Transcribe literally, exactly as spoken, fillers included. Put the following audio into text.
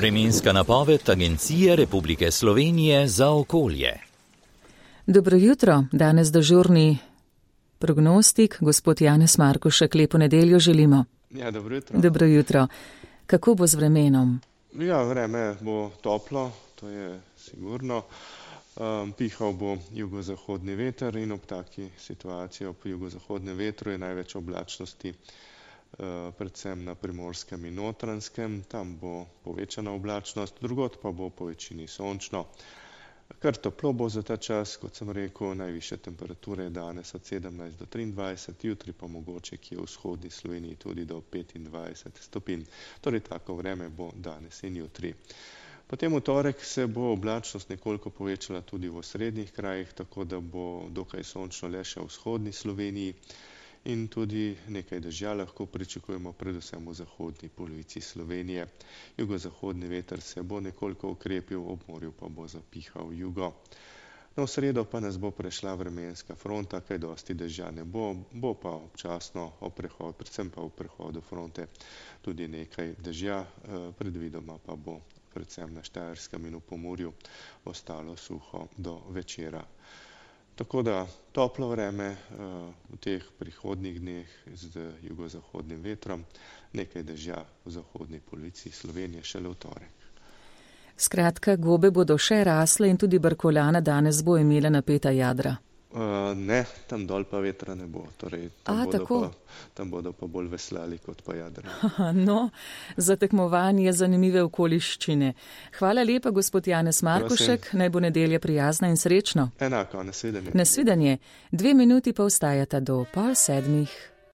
Vremenska napoved Agencije Republike Slovenije za okolje. Dobro jutro, danes dežurni prognostik, gospod Janez Markušek, lepo nedeljo želimo. Ja, dobro jutro. Dobro jutro. Kako bo z vremenom? Ja, vreme bo toplo, to je sigurno. Um, pihal bo jugozahodni veter in ob taki situaciji ob jugozahodnem vetru je največ oblačnosti uh, predvsem na Primorskem in Notranjskem. Tam bo povečana oblačnost, drugod pa bo po večini sončno. Kar toplo bo za ta čas, kot sem rekel, najvišje temperature danes od sedemnajst do triindvajset, jutri pa mogoče kje v vzhodni Sloveniji tudi do petindvajset stopinj. Torej tako vreme bo danes in jutri. Potem v torek se bo oblačnost nekoliko povečala tudi v osrednjih krajih, tako da bo dokaj sončno le še v vzhodni Sloveniji in tudi nekaj dežja lahko pričakujemo predvsem v zahodni polovici Slovenije. Jugozahodni veter se bo nekoliko okrepil, ob morju pa bo zapihal jugo. No, v sredo pa nas bo prešla vremenska fronta, kaj dosti dežja ne bo, bo pa občasno ob prehodu, predvsem pa v prehodu fronte tudi nekaj dežja, predvidoma pa bo predvsem na Štajerskem in v Pomurju ostalo suho do večera. Tako da toplo vreme v teh prihodnjih dneh z jugozahodnim vetrom, nekaj dežja v zahodni polovici Slovenije šele v torek. Skratka, gobe bodo še rasle in tudi Brkoljana danes bo imela napeta jadra. Uh, ne, tam dol pa vetra ne bo. Torej, tam, A, bodo tako? pa, tam bodo pa bolj veslali kot pa jadra. No, za tekmovanje zanimive okoliščine. Hvala lepa, gospod Janez Markušek, naj bo nedelja prijazna in srečno. Enako, nasvidenje. Nasvidenje. Dve minuti pa ostajata do pol sedmih.